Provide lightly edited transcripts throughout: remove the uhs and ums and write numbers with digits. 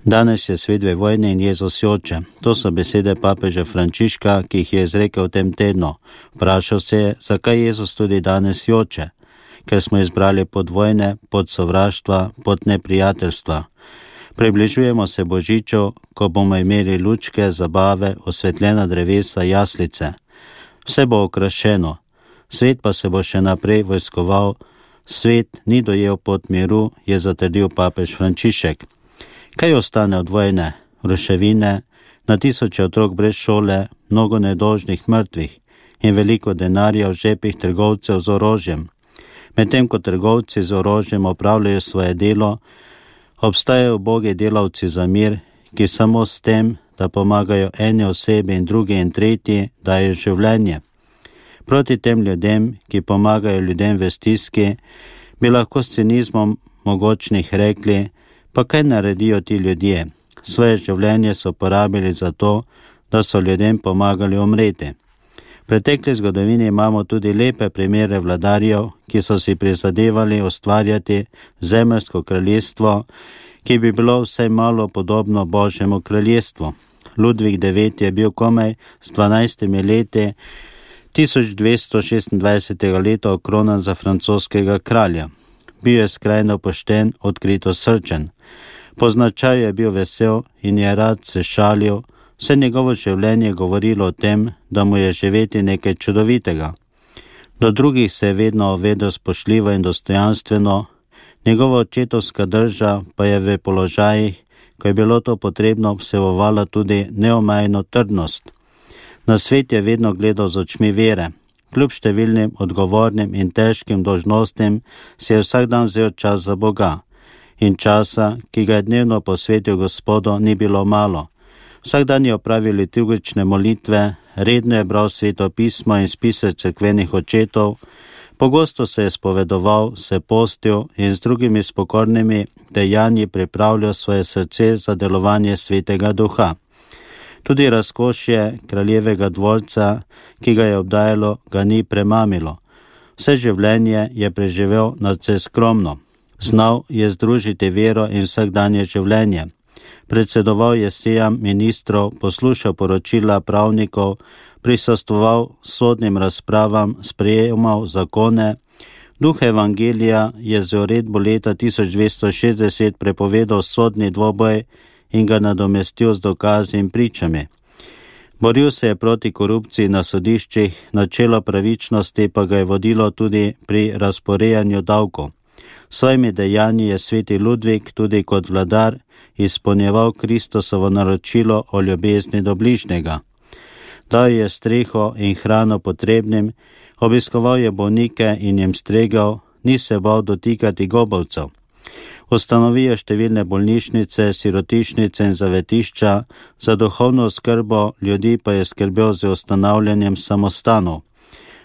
Danes je svet v vojni in Jezus joče. To so besede papeža Frančiška, ki jih je izrekel v tem tednu. Vprašal se je, zakaj Jezus tudi danes joče, ker smo izbrali pot vojne, pot sovraštva, pot neprijateljstva. Približujemo se Božiču, ko bomo imeli lučke, zabave, osvetljena drevesa, jaslice. Vse bo okrašeno, svet pa se bo še naprej vojskoval. Svet ni dojel pot miru, je zatrdil papež Frančišek. Kaj ostane od vojne? Ruševine, na tisoče otrok brez šole, mnogo nedolžnih mrtvih in veliko denarja v žepih trgovcev z orožjem. Medtem ko trgovci z orožjem opravljajo svoje delo, obstajajo ubogi delavci za mir, ki samo s tem, da pomagajo eni osebi in drugi in tretji, dajo življenje. Proti tem ljudem, ki pomagajo ljudem v stiski, bi lahko s cinizmom mogočnih rekli, pa kaj naredijo ti ljudje? Svoje življenje so porabili za to, da so ljudem pomagali umreti. V pretekli zgodovini imamo tudi lepe primere vladarjev, ki so si prizadevali ustvarjati zemeljsko kraljestvo, ki bi bilo vsaj malo podobno Božjemu kraljestvu. Ludvik IX je bil komaj s 12 leti 1226. leta okronan za francoskega kralja. Bil je skrajno pošten, odkrito srčen. Po značaju je bil vesel in je rad se šalil. Vse njegovo življenje je govorilo o tem, da mu je živeti nekaj čudovitega. Do drugih se je vedno vedel spoštljivo in dostojanstveno, njegova očetovska drža pa je v položajih, ko je bilo to potrebno, vsebovala tudi neomajno trdnost. Na svet je vedno gledal z očmi vere. Kljub številnim odgovornim in težkim dolžnostim si je vsak dan vzel čas za Boga. In časa, ki ga je dnevno posvetil Gospodu, ni bilo malo. Vsak dan je opravil liturgične molitve, redno je bral Sveto pismo in spise cerkvenih očetov, pogosto se je spovedoval, se postil in z drugimi spokornimi dejanji pripravljal svoje srce za delovanje Svetega Duha. Tudi razkošje kraljevega dvorca, ki ga je obdajalo, ga ni premamilo. Vse življenje je preživel nadvse skromno. Znal je združiti vero in vsakdanje življenje. Predsedoval je sejam ministrov, poslušal poročila pravnikov, prisostvoval sodnim razpravam, sprejemal zakone. Duh evangelija je z uredbo leta 1260 prepovedal sodni dvoboj in ga nadomestil z dokazi in pričami. Boril se je proti korupciji na sodiščih, načelo pravičnosti pa ga je vodilo tudi pri razporejanju davkov. Svojimi dejanji je sveti Ludvik tudi kot vladar izpolnjeval Kristusovo naročilo o ljubezni do bližnjega. Dal je streho in hrano potrebnim, obiskoval je bolnike in jim stregal, ni se bal dotikati gobovcev. Ustanovil je številne bolnišnice, sirotišnice in zavetišča, za duhovno oskrbo ljudi pa je skrbel z ustanavljanjem samostanov.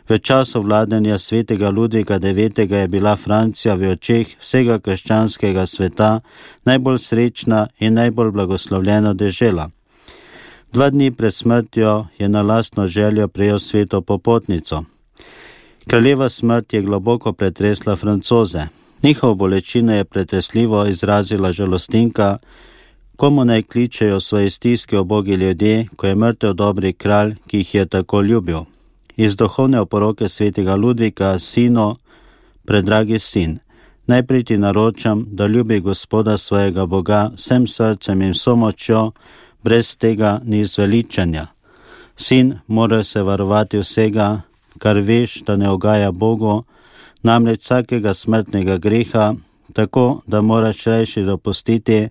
V času vladanja svetega Ludvika IX. Je bila Francija v očeh vsega krščanskega sveta najbolj srečna in najbolj blagoslovljena dežela. 2 dni pred smrtjo je na lastno željo prejel sveto popotnico. Kraljeva smrt je globoko pretresla Francoze. Njihovo bolečino je pretresljivo izrazila žalostinka, komu naj kličejo svoje stiske ubogi ljudje, ko je mrtev dobri kralj, ki jih je tako ljubil. Iz duhovne oporoke svetega Ludvika, sino, predragi sin, najprej ti naročam, da ljubi Gospoda svojega Boga vsem srcem in vso močjo, brez tega ni zveličanja. Sin mora se varovati vsega, kar veš, da ne ugaja Bogu, namreč vsakega smrtnega greha, tako da moraš rajši dopustiti,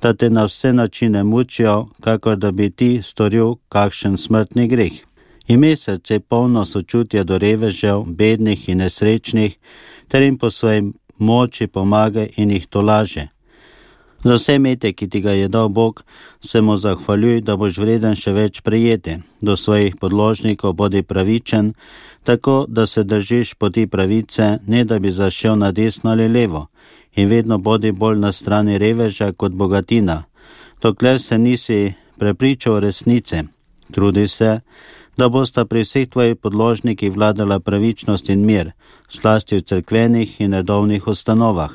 da te na vse načine mučijo, kakor da bi ti storil kakšen smrtni greh. Imej srce polno sočutja do revežev, bednih in nesrečnih, ter jim po svoji moči pomagaj in jih tolaže. Za vse mete, ki ti ga je dal Bog, se mu zahvaljuj, da boš vreden še več prejeti. Do svojih podložnikov bodi pravičen, tako da se držiš poti pravice, ne da bi zašel na desno ali levo, in vedno bodi bolj na strani reveža kot bogatina, dokler se nisi prepričal resnice. Trudi se, da bosta pri vseh tvojih podložnikih vladala pravičnost in mir, zlasti v cerkvenih in redovnih ustanovah.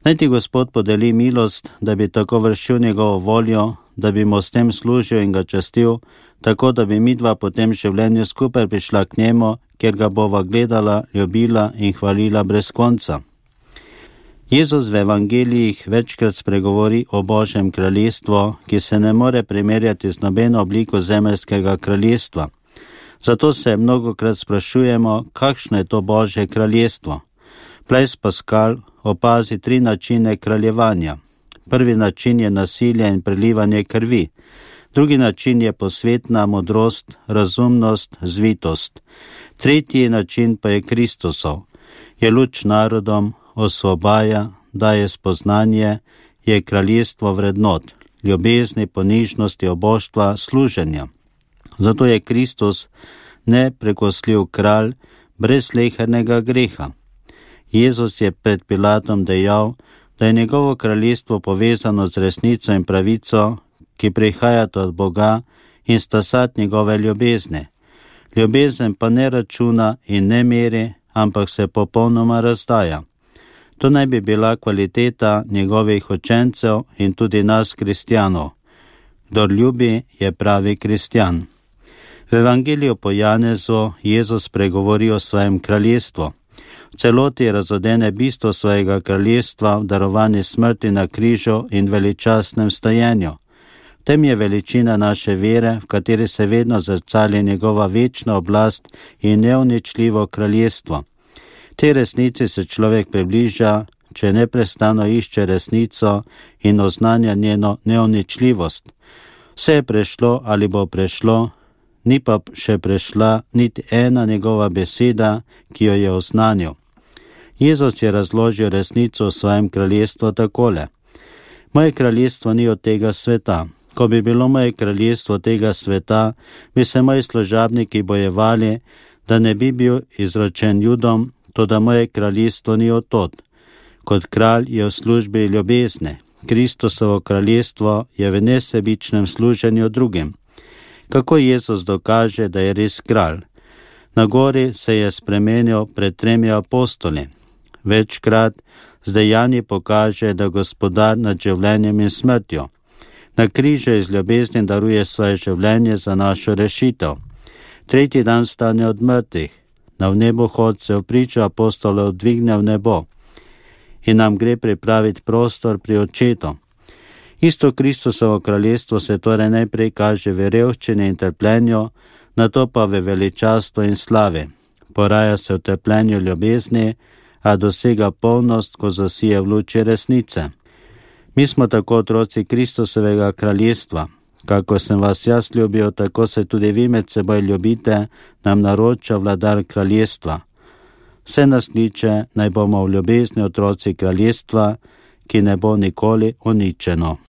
Naj ti Gospod podeli milost, da bi tako vršil njegovo voljo, da bi mu s tem služil in ga častil, tako da bi midva po tem življenju skupaj prišla k njemu, kjer ga bova gledala, ljubila in hvalila brez konca. Jezus v evangelijih večkrat spregovori o Božjem kraljestvu, ki se ne more primerjati z nobeno obliko zemeljskega kraljestva. Zato se mnogokrat sprašujemo, kakšno je to Božje kraljestvo. Blaise Pascal opazi 3 načine kraljevanja. Prvi način je nasilje in prelivanje krvi. Drugi način je posvetna modrost, razumnost, zvitost. Tretji način pa je Kristusov. Je luč narodom, osvobaja, daje spoznanje, je kraljestvo vrednot, ljubezni, ponižnosti, oboštva, služenja. Zato je Kristus neprekosljiv kralj brez slehernega greha. Jezus je pred Pilatom dejal, da je njegovo kraljestvo povezano z resnico in pravico, ki prihajata od Boga in sta sad njegove ljubezni. Ljubezen pa ne računa in ne meri, ampak se popolnoma razdaja. To naj bi bila kvaliteta njegovih učencev in tudi nas, kristjanov. Kdor ljubi, je pravi kristjan. V evangeliju po Janezu Jezus pregovori o svojem kraljestvu. V celoti razodene bistvo svojega kraljestva v darovani smrti na križu in veličastnem stojenju. V tem je veličina naše vere, v kateri se vedno zrcali njegova večna oblast in neuničljivo kraljestvo. Tej resnici se človek približa, če neprestano išče resnico in oznanja njeno neuničljivost. Vse je prešlo ali bo prešlo, ni pa še prešla niti ena njegova beseda, ki jo je oznanil. Jezus je razložil resnico v svojem kraljestvu takole. Moje kraljestvo ni od tega sveta. Ko bi bilo moje kraljestvo tega sveta, bi se moji služabniki bojevali, da ne bi bil izročen Judom, toda moje kraljestvo ni od tod. Kot kralj je v službi ljubezne. Kristusovo kraljestvo je v nesebičnem služenju drugim. Kako Jezus dokaže, da je res kralj? Na gori se je spremenil pred 3 apostoli. Večkrat z dejanji pokaže, da gospodar nad življenjem in smrtjo. Na križu iz ljubezni daruje svoje življenje za našo rešitev. 3. dan stane od mrtvih. Na vnebohod se v pričo apostolov dvigne v nebo in nam gre pripraviti prostor pri Očetu. Isto Kristusovo kraljestvo se torej najprej kaže v revščini in trpljenju, nato pa v veličastvu in slavi. Poraja se v trpljenju ljubezni, a dosega polnost, ko zasije v luči resnice. Mi smo tako otroci Kristusovega kraljestva. Kako sem vas jaz ljubil, tako se tudi vi med seboj ljubite, nam naroča vladar kraljestva. Vse nas kliče, naj bomo v ljubezni otroci kraljestva, ki ne bo nikoli uničeno.